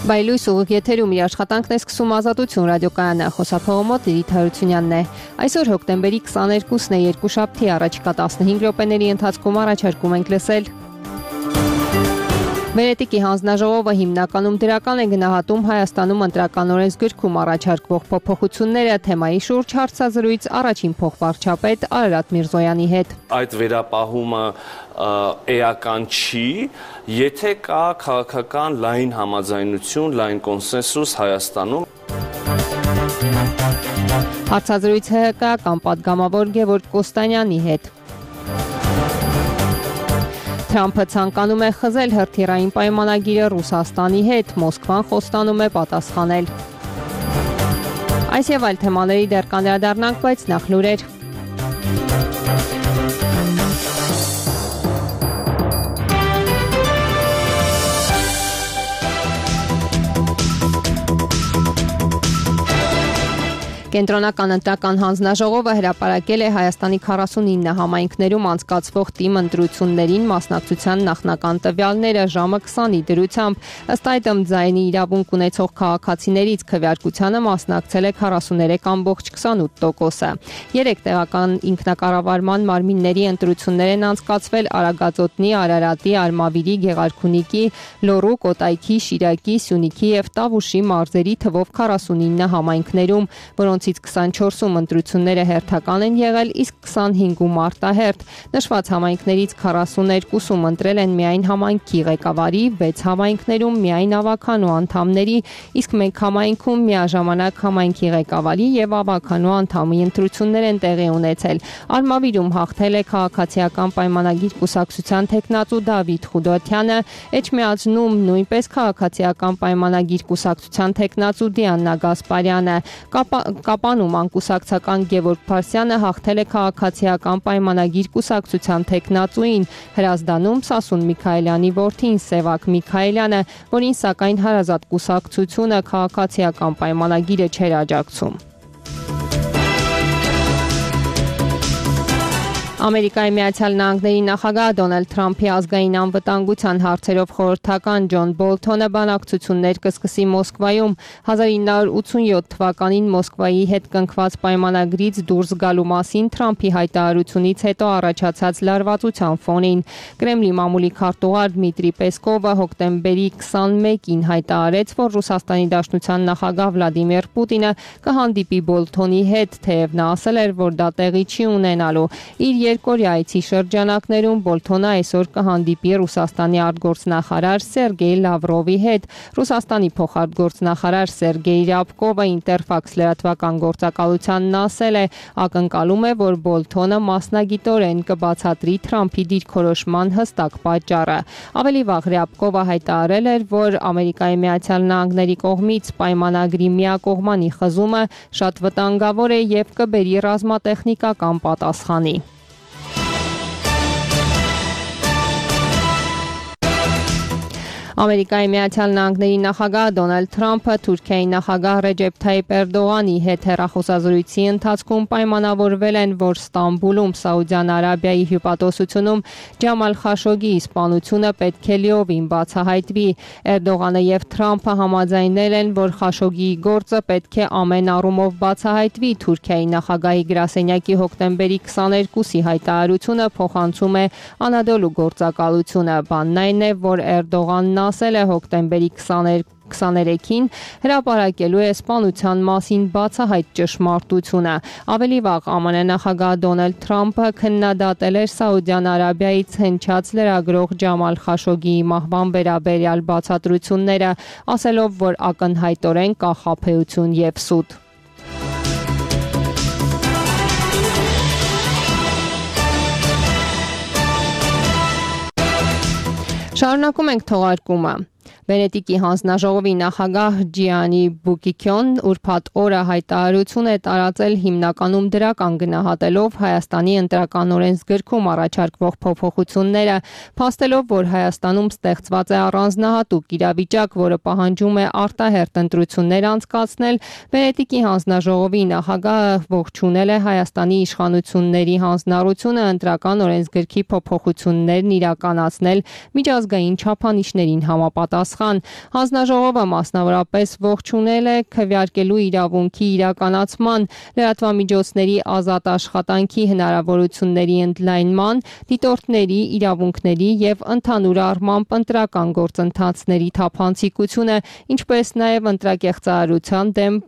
Բայլույս ուղիղ եթերում իր աշխատանքն է սկսում Ազատություն ռադիոկայանը, խոսափողը մոտ Լիլիթ Հարությունյանն է։ Այսօր հոկտեմբերի 22-ն է, երկուշաբթի, առաջիկա 15 րոպեների ընթացքում առաջարկում ենք լսել. Վենետիկի հանձնաժողովը հիմնականում դրական է գնահատում Հայաստանում ընտրական օրենսգրքում առաջարկվող փոփոխությունները, թեմայի շուրջ հարցազրույց առաջին փոխվարչապետ Արարատ Միրզոյանի հետ։ Այդ վերապահումը էական չի, եթե կա քաղաքական լայն համաձայնություն, լայն կոնսենսուս Հայաստանում։ Հարցազրույց ՀՀԿ-ական պատգամավոր Գևորգ Կոստանյանի հետ։ Թրամփը ցանկանում է խզել հրթիռային պայմանագիրը Ռուսաստանի հետ, Մոսկվան խոստանում է պատասխանել։ Այս եւ այլ թեմաների դեռ կանդրադառնանք, բայց նախ լուրեր։ Կենտրոնական ընտրական հանձնաժողովը հրապարակել է Հայաստանի 49 համայնքներում անցկացվող թիմ ընտրություններին մասնակցության նախնական տվյալները ժամը 20-ի դրությամբ, ըստ այդմ ձայնի իրավունք ունեցող քաղաքացիներից քվեարկությանը մասնակցել է 43.28%-ը։ 3 տեղական ինքնակառավարման մարմինների ընտրություններ են անցկացվել Արագածոտնի, Արարատի, Արմավիրի, Գեղարքունիքի, Լոռու, Կոտայքի, Շիրակի, Սյունիքի եւ Տավուշի մարզերի թվով 49 համայնքներում, որոնցից 24-ում ընտրությունները հերթական են եղել, իսկ 25-ում արտահերթ։ Նշված համայնքներից 42-ում ընտրել են միայն համայնքի ղեկավարի, 6 համայնքներում միայն ավականու անդամների, իսկ մեկ համայնքում միաժամանակ համայնքի ղեկավարի եւ ավականու անդամի ընտրություններ են տեղի ունեցել։ Արմավիրում հաղթել է քաղաքացիական պայմանագիր կուսակցության թեկնածու Դավիթ Խուդոթյանը, Էջմիածնում նույնպես քաղաքացիական պայմանագիր կուսակցության թեկնածու Դիանա Գասպարյանը, Կապանում անկուսակցական Գևորգ Փարսյանը հաղթել է քաղաքացիական պայմանագիր կուսակցության թեկնածուին, Հրազդանում Սասուն Միքայելյանի որդին Սևակ Միքայելյանը, որին սակայն հարազատ կուսակցությունը քաղաքացիական պայմանագիրը չէր աջակցում։ Ամերիկայի Միացյալ Նահանգների նախագահ Դոնալդ Թրամփի ազգային անվտանգության հարցերով խորհրդական Ջոն Բոլթոնը բանակցություններ կսկսի Մոսկվայում 1987 թվականին Մոսկվայի հետ կնքված պայմանագրից դուրս գալու մասին Թրամփի հայտարարությունից հետո առաջացած լարվածության ֆոնին։ Կրեմլի մամուլի քարտուղար Դմիտրի Պեսկովը հոկտեմբերի 21-ին հայտարարեց, որ Ռուսաստանի Դաշնության նախագահ Վլադիմիր Պուտինը կհանդիպի Բոլթոնի հետ, թեև նա ասել էր, որ դա տեղի չի ունենալու։ Իր երկօրյա այցի շրջանակներում Բոլթոնը այսօր կհանդիպի Ռուսաստանի արտգործնախարար Սերգեյ Լավրովի հետ։ Ռուսաստանի փոխարտգործնախարար Սերգեյ Ռյաբկովը Ինտերֆաքս լրատվական գործակալությանն ասել է, ակնկալում է, որ Բոլթոնը մասնագիտորեն կբացատրի Թրամփի դիրքորոշման հստակ պատճառը։ Ավելի վաղ Ռյաբկովը հայտարարել էր, որ Ամերիկայի Միացյալ Նահանգների կողմից պայմանագրի միակողմանի խզումը շատ վտանգավոր է եւ կբերի ռազմատեխնիկական պատասխանի։ Ամերիկայի Միացյալ Նահանգների նախագահ Դոնալդ Թրամփը Թուրքիայի նախագահ Ռեջեփ Թայիփ Էրդողանի հետ հեռախոսազրույցի ընթացքում պայմանավորվել են, որ Ստամբուլում Սաուդյան Արաբիայի հյուպատոսությունում Ջամալ Խաշոգիի սպանությունը պետք է լիովին բացահայտվի։ Էրդողանը եւ Թրամփը համաձայնել են, որ Խաշոգիի գործը պետք է ամեն առումով բացահայտվի։ Թուրքիայի նախագահի գրասենյակի հոկտեմբերի 22-ի հայտարարությունը փոխանցում է Անադոլու գործակալությունը։ Բանն այն է, որ Էրդողանն ասել է հոկտեմբերի 23-ին հրապարակելու է սպանության մասին բացահայտ ճշմարտությունը։ Ավելի վաղ ԱՄՆ նախագահ Դոնալդ Թրամփը քննադատել էր Սաուդյան Արաբիայից հնչած լրագրող Ջամալ Խաշոգիի մահվան վերաբերյալ բացատրությունները, ասելով, որ ակնհայտորեն կա խաբեություն եւ սուտ։ Շարունակում ենք թողարկումը։ Վենետիկի հանձնաժողովի նախագահ Ջիանի Բուկիկյոն ուրբաթ օրը հայտարարություն է տարածել հիմնականում դրական գնահատելով Հայաստանի ընտրական օրենսգրքում առաջարկվող փոփոխությունները, փաստելով, որ Հայաստանում ստեղծված է առանձնահատուկ իրավիճակ, որը պահանջում է արտահերթ ընտրություններ անցկացնել, Վենետիկի հանձնաժողովի նախագահը ողջունել է Հայաստանի իշխանությունների հանձնառությունը ընտրական օրենսգրքի փոփոխություններն իրականացնել միջազգային չափանիշներին համապատասխան։ պատասխան։ Հանձնաժողովը մասնավորապես ողջունել է քվեարկելու իրավունքի իրականացման, լրատվամիջոցների ազատ աշխատանքի հնարավորությունների ընդլայնման, դիտորդների իրավունքների և ընդհանուր առմամբ ընտրական գործընթացների թափանցիկությունը, ինչպես նաև ընտրակեղծարարության դեմ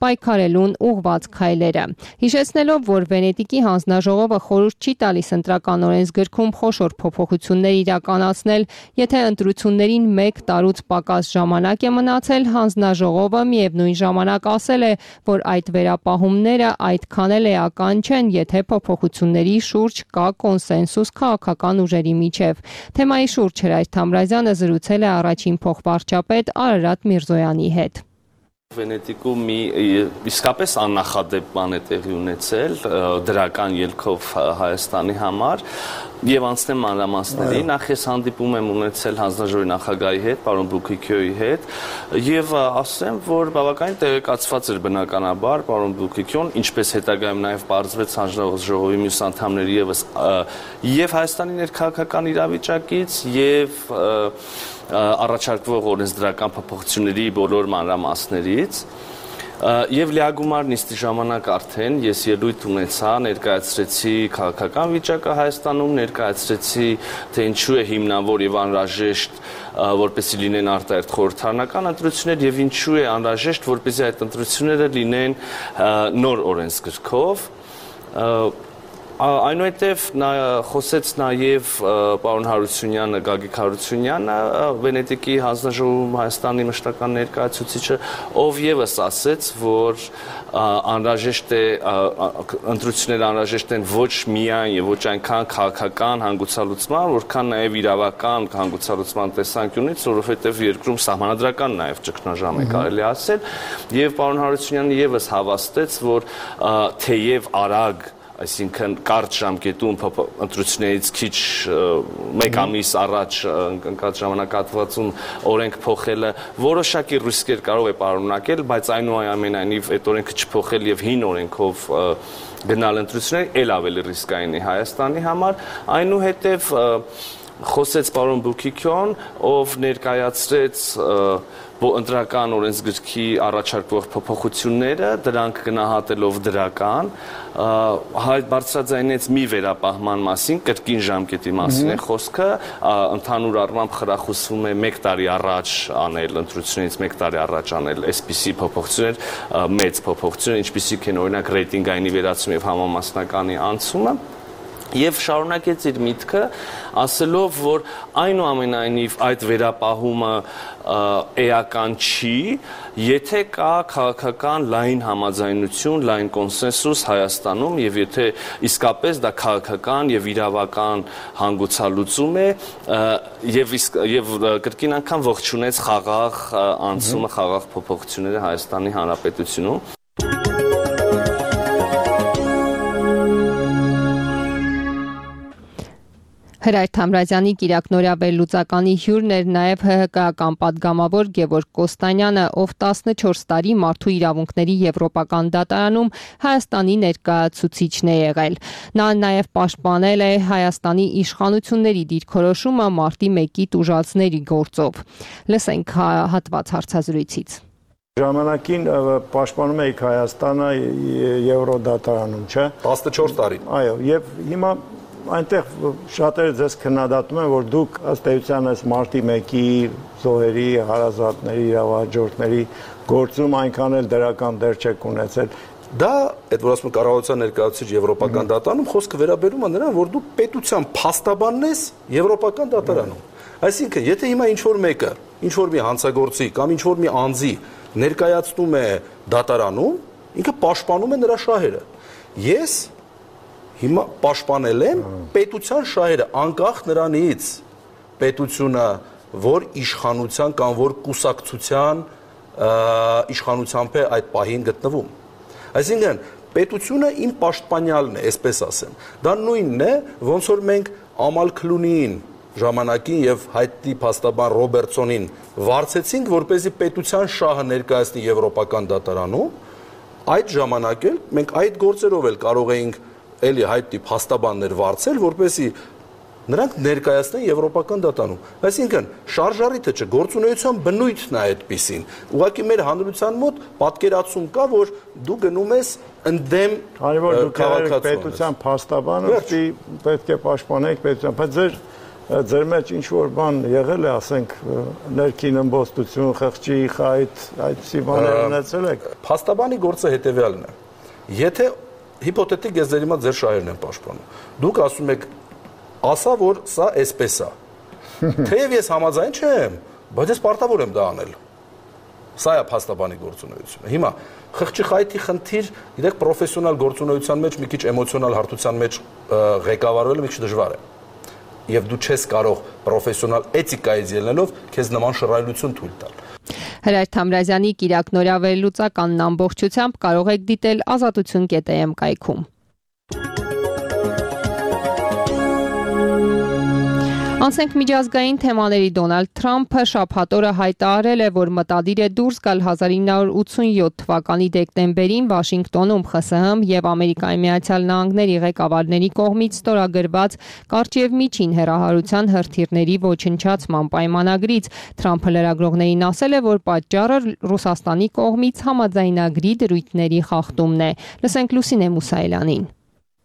պայքարելուն ուղղված քայլերը։ Հիշեցնելով, որ Վենետիկի հանձնաժողովը խորհուրդ չի տալիս ընտրական օրենսգրքում խոշոր փոփոխություններ իրականացնել, եթե ընտրություններին 1 տարուց պակաս ժամանակ է մնացել, հանձնաժողովը միևնույն ժամանակ ասել է, որ այդ վերապահումները այդքան էլ էական չեն, եթե փոփոխությունների շուրջ կա կոնսենսուս քաղաքական ուժերի միջև։ Թեմայի շուրջ Հրայր Թամրազյանը զրուցել է առաջին փոխվարչապետ Արարատ Միրզոյանի հետ։ Վենետիկում իսկապես աննախադեպ բան է տեղի ունեցել դրական ելքով Հայաստանի համար եւ անցնեմ մանրամասների նախ ես հանդիպում եմ ունեցել հանձնաժողովի նախագահի հետ, պարոն Բուկիկյոյի հետ եւ ասեմ, որ բավականին տեղեկացված էր բնականաբար պարոն Բուկիկյոն, ինչպես հետագայում նաեւ բարձվեց հանձնաժողովի մյուս անդամների եւս եւ Հայաստանի ներքաղաքական իրավիճակից եւ առաջարկվող օրենսդրական փոփոխությունների բոլոր մանրամասներից եւ լիագումար նիստի ժամանակ արդեն ես ելույթ ունեցա, ներկայացրեցի քաղաքական վիճակը Հայաստանում, ներկայացրեցի թե ինչու է հիմնավոր եւ անհրաժեշտ որպեսզի լինեն արտահերթ խորհրդարանական ընտրություններ եւ ինչու է անհրաժեշտ որպեսզի այդ ընտրությունները լինեն նոր օրենսգրքով Այնուհետև խոսեց նաև պարոն Հարությունյանը, Գագիկ Հարությունյանը, Վենետիկի հանձնաժողովում Հայաստանի մշտական ներկայացուցիչը, ով եւս ասեց, որ անհրաժեշտ է ընտրությունները անհրաժեշտ են ոչ միայն եւ ոչ այնքան քաղաքական հանգուցալուծման, որքան նաև իրավական հանգուցալուծման տեսանկյունից, որովհետեւ երկրում սահմանադրական նաև ճգնաժամ է կարելի ասել, եւ պարոն Հարությունյանը եւս հավաստեց, որ թեև արագ այսինքն կարճ ժամկետում ընտրություններից քիչ մեկ ամիս առաջ ընկած ժամանակահատվածում օրենք փոխելը որոշակի ռիսկեր կարող է պարունակել, բայց այնուամենայնիվ այդ օրենքը չփոխել եւ հին օրենքով գնալ ընտրությունների ել ավելի ռիսկային է Հայաստանի համար, այնուհետև խոսեց պարոն Բուկիկյոն, ով ներկայացրեց ընտրական օրենսգրքի առաջարկվող փոփոխությունները, դրանք գնահատելով դրական, բարձրաձայնեց մի վերապահման մասին, կրկին ժամկետի մասին է խոսքը, ընդհանուր առմամբ խրախուսվում է 1 տարի առաջ անել, ընտրությունից 1 տարի առաջ անել այսպիսի փոփոխություններ, մեծ փոփոխություններ, ինչպիսիք են օրինակ ռեյտինգային վերացում եւ համամասնականի անցումը Եվ շարունակեց իր միտքը, ասելով, որ այնուամենայնիվ այդ վերապահումը էական չի, եթե կա քաղաքական լայն համաձայնություն, լայն կոնսենսուս Հայաստանում եւ եթե իսկապես դա քաղաքական եւ իրավական հանգուցալուծում է եւ կրկին անգամ ողջունեց խաղաղ անցումը, խաղաղ փոփոխությունները Հայաստանի Հանրապետությունում Հրայր Թամրազյանի կիրակնօրյա վերլուծականի հյուրն էր նաև ՀՀԿ-ական պատգամավոր Գևորգ Կոստանյանը, ով 14 տարի մարդու իրավունքների եվրոպական դատարանում Հայաստանի ներկայացուցիչն է եղել։ Նա նաև պաշտպանել է Հայաստանի իշխանությունների դիրքորոշումը մարտի 1-ի տուժածների գործով։ Լսենք հատված հարցազրույցից։ Ժամանակին պաշտպանում էիք Հայաստանը Եվրոդատարանում, չէ՞։ 14 տարի։ Այո, եւ հիմա այնտեղ շատերը ձեզ քննադատում են, որ դուք ըստ էության այս մարտի 1-ի զոհերի, հարազատների, իրավահաջորդների գործում այնքան էլ դրական դեր չեք ունեցել։ Դա այդ որ ասում են կառավարության ներկայացուցիչ եվրոպական դատարանում խոսքը վերաբերում է նրան, որ դու պետության փաստաբանն ես եվրոպական դատարանում։ Այսինքն, եթե հիմա ինչ-որ մեկը, ինչ-որ մի հանցագործի կամ ինչ-որ մի անձի ներկայացնում է դատարանում, ինքը պաշտպանում է նրա շահերը։ Ես հիմա պաշտպանել եմ պետության շահերը, անկախ նրանից պետությունը որ իշխանության կամ որ կուսակցության իշխանությամբ է այդ պահին գտնվում։ Այսինքն պետությունը իմ պաշտպանյալն է, այսպես ասեմ։ Դա նույնն է, ոնց որ մենք Ամալ Քլունիին ժամանակին եւ հայտնի փաստաբան Ռոբերտսոնին վարձեցինք, որպեսզի պետության շահը ներկայացնի եվրոպական դատարանում, այդ ժամանակ էլ մենք այդ գործերով էլ կարող էինք էլի հայտնի փաստաբաններ վարձել, որպեսզի նրանք ներկայացնեն Եվրոպական դատարանում։ Այսինքն շարժառիթը չէ, գործունեության բնույթն է այդպիսին։ Ուղղակի մեր հանրության մոտ պատկերացում կա, որ դու գնում ես ընդդեմ քաղաքացիության պետության փաստաբանը, պետք է պաշտպանեք պետության, բայց ձեր մեջ ինչ որ բան եղել է, ասենք, ներքին ըմբոստություն, խղճի խայտ, այդպիսի բաներ ունեցել եք։ Փաստաբանի գործը հետևյալն է։ Եթե հիպոթետիկ ես ձեր հիմա ձեր շահերն եմ պաշտպանում, դուք ասում եք, ասա, որ սա էսպես է։ Թեև ես համաձայն չեմ, բայց ես պարտավոր եմ դա անել։ Սա է փաստաբանի գործունեությունը։ Հիմա խղճի խայտի խնդիր, գիտեք, պրոֆեսիոնալ գործունեության մեջ մի քիչ էմոցիոնալ հարթության մեջ ղեկավարվելը մի քիչ դժվար է։ Եվ դու չես կարող պրոֆեսիոնալ էթիկայից ելնելով քեզ նման շռայլություն թույլ տալ։ Հրայր Թամրազյանի Կիրակ նորավերլուծականն ամբողջությամբ կարող եք դիտել azatutsun.am կայքում։ Անցենք միջազգային թեմաների Դոնալդ Թրամփը շաբաթ օրը հայտարարել է, որ մտադիր է դուրս գալ 1987 թվականի դեկտեմբերին Վաշինգտոնում ԽՍՀՄ եւ Ամերիկայի Միացյալ Նահանգների ղեկավարների կողմից ստորագրված կարճ եւ միջին հեռահարության հրթիռների ոչնչացման պայմանագրից։ Թրամփը լրագրողներին ասել է, որ պատճառը Ռուսաստանի կողմից համաձայնագրի դրույթների խախտումն է։ Լսենք Լուսինե Մուսայելյանին։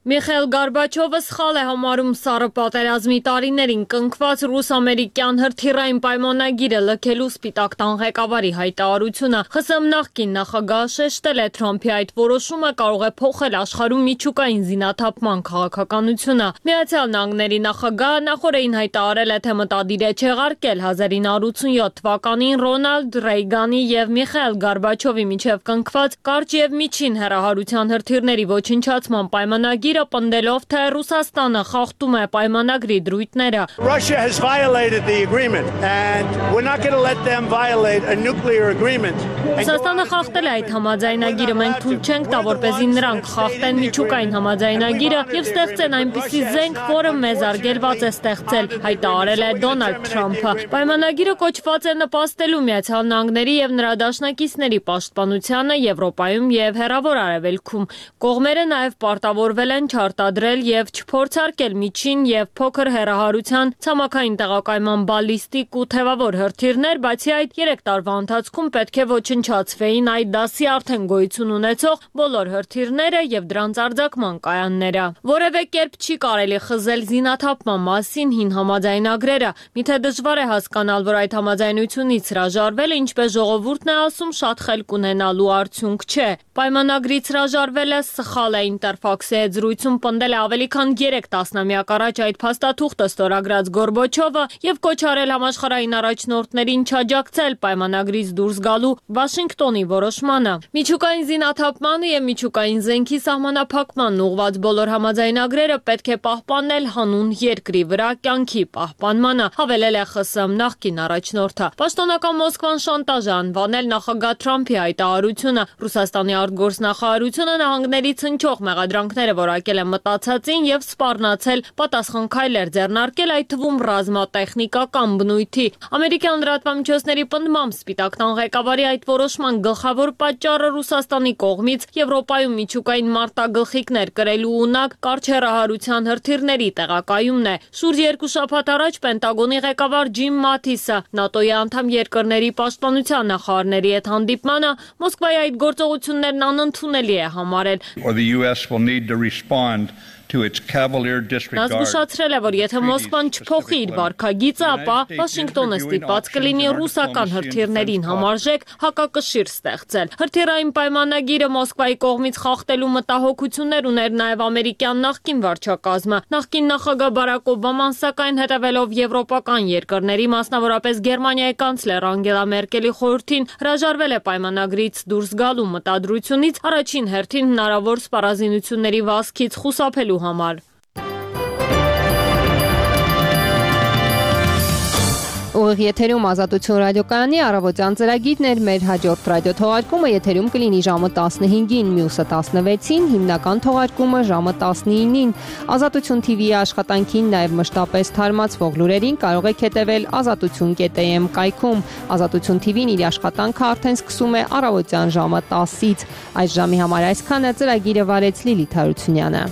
Միխայել Գորբաչովը սխալ է համարում Սառը պատերազմի տարիներին կնքված ռուս-ամերիկյան հրթիռային պայմանագիրը լքելու Սպիտակ տան ղեկավարի հայտարարությունը։ ԽՍՀՄ նախկին նախագահը շեշտել է Թրամփի այդ որոշումը կարող է փոխել աշխարհում միջուկային զինաթափման քաղաքականությունը։ Միացյալ Նահանգների նախագահը նախորդին հայտարարել է, թե մտադիր է չեղարկել 1987 թվականին Ռոնալդ Ռեյգանի եւ Միխայել Գորբաչովի միջև կնքված կարճ եւ միջին հեռահարության հրթիռների ոչնչացման պայմանագիրը պնդելով, թե Ռուսաստանը խախտում է պայմանագրի դրույթները։ Russia has violated the agreement and we're not going to let them violate a nuclear agreement. Ռուսաստանը խախտել է այդ համաձայնագիրը, մենք թույլ չենք տա, որպեսզի նրանք խախտեն միջուկային համաձայնագիրը եւ ստեղծեն այնպիսի զենք, որը մեզ արգելված է ստեղծել, հայտարարել է Դոնալդ Թրամփը։ Պայմանագիրը կոչված է նպաստելու Միացյալ Նահանգների եւ նրա դաշնակիցների պաշտպանությանը Եվրոպայում եւ Հեռավոր Արևելքում։ Կողմերը նաեւ պարտավորվել են չարտադրել եւ չփորձարկել միջին եւ փոքր հեռահարության ցամաքային տեղակայման բալիստիկ ու թևավոր հրթիռներ, բացի այդ 3 տարվա ընթացքում պետք է ոչնչացվեին այդ դասի արդեն գոյություն ունեցող բոլոր հրթիռները եւ դրանց արձակման կայանները։ Որևէ կերպ չի կարելի խզել զինաթափման մասին հին համաձայնագրերը։ Միթե դժվար է հասկանալ, որ այդ համաձայնությունից հրաժարվելը, ինչպես ժողովուրդն է ասում, շատ խելք ունենալու արդյունք չէ։ Պայմանագրից հրաժարվելը սխալ է, Ինտերֆաքսի հետ զրույցում պնդել է ավելի քան 3 տասնամյակ առաջ այդ փաստաթուղթը ստորագրած Գորբաչովը եւ կոչ արել համաշխարհային առաջնորդներին չաջակցել պայմանագրից դուրս գալու Վաշինգտոնի որոշմանը։ Միջուկային զինաթափմանը եւ միջուկային զենքի սահմանափակմանն ուղղված բոլոր համաձայնագրերը պետք է պահպանել հանուն երկրի վրա կյանքի պահպանմանը, հավելել է ԽՍՀՄ նախկին առաջնորդը։ Պաշտոնական Մոսկվան շանտաժ է անվանել նախագահ Թրամփի հայտարարությունը։ Ռուսաստանի արտգործնախարարությունը նահանգներից հնչող մեղադրանքները որակել է մտածածին եւ սպառնացել պատասխան քայլեր ձեռնարկել, այդ թվում ռազմատեխնիկական բնույթի։ Ամերիկյան լրատվամիջոցների պնդմամբ Սպիտակ տան ղեկավարի այդ որոշման գլխավոր պատճառը Ռուսաստանի կողմից Եվրոպայում միջուկային մարտագլխիկներ կրելու ունակ կարճ հեռահարության հրթիռների տեղակայումն է։ Շուրջ 2 շաբաթ առաջ Պենտագոնի ղեկավար Ջիմ Մաթիսը ՆԱՏՕ-ի անդամ երկրների պաշտպանության նախարարների հետ հանդիպմանը Մոսկվայի այդ գործողություններն անընդունելի է համարել։ Նա զգուշացրել է, որ եթե Մոսկվան չփոխի իր վարքագիծը, ապա Վաշինգտոնը ստիպված կլինի ռուսական հրթիռներին համարժեք հակակշիռ ստեղծել։ Հրթիռային պայմանագիրը Մոսկվայի կողմից խախտելու մտահոգություններ ուներ նաև ամերիկյան նախկին վարչակազմը։ Նախկին նախագահ Բարակ Օբաման, սակայն հետևելով եվրոպական երկրների, մասնավորապես Գերմանիայի կանցլեր Անգելա Մերկելի խորհրդին, հրաժարվել է պայմանագրից դուրս գալու մտադրությունից, առաջին հերթին հնարավոր սպառազինությունների վազքից խուսափելու համար։ Ուղիղ եթերում Ազատություն ռադիոկայանի առավոտյան ծրագիրն էր, մեր հաջորդ ռադիոթողարկումը եթերում կլինի ժամը 15-ին, մյուսը 16-ին, հիմնական թողարկումը ժամը 19-ին։ Ազատություն TV-ի աշխատանքին, նաև մշտապես թարմացվող լուրերին կարող եք հետևել azatutsun.am կայքում։ Ազատություն TV-ն իր աշխատանքը արդեն սկսում է առավոտյան ժամը 10-ից։ Այս ժամի համար այսքանը, ծրագիրը վարեց Լիլիթ Հարությունյանը։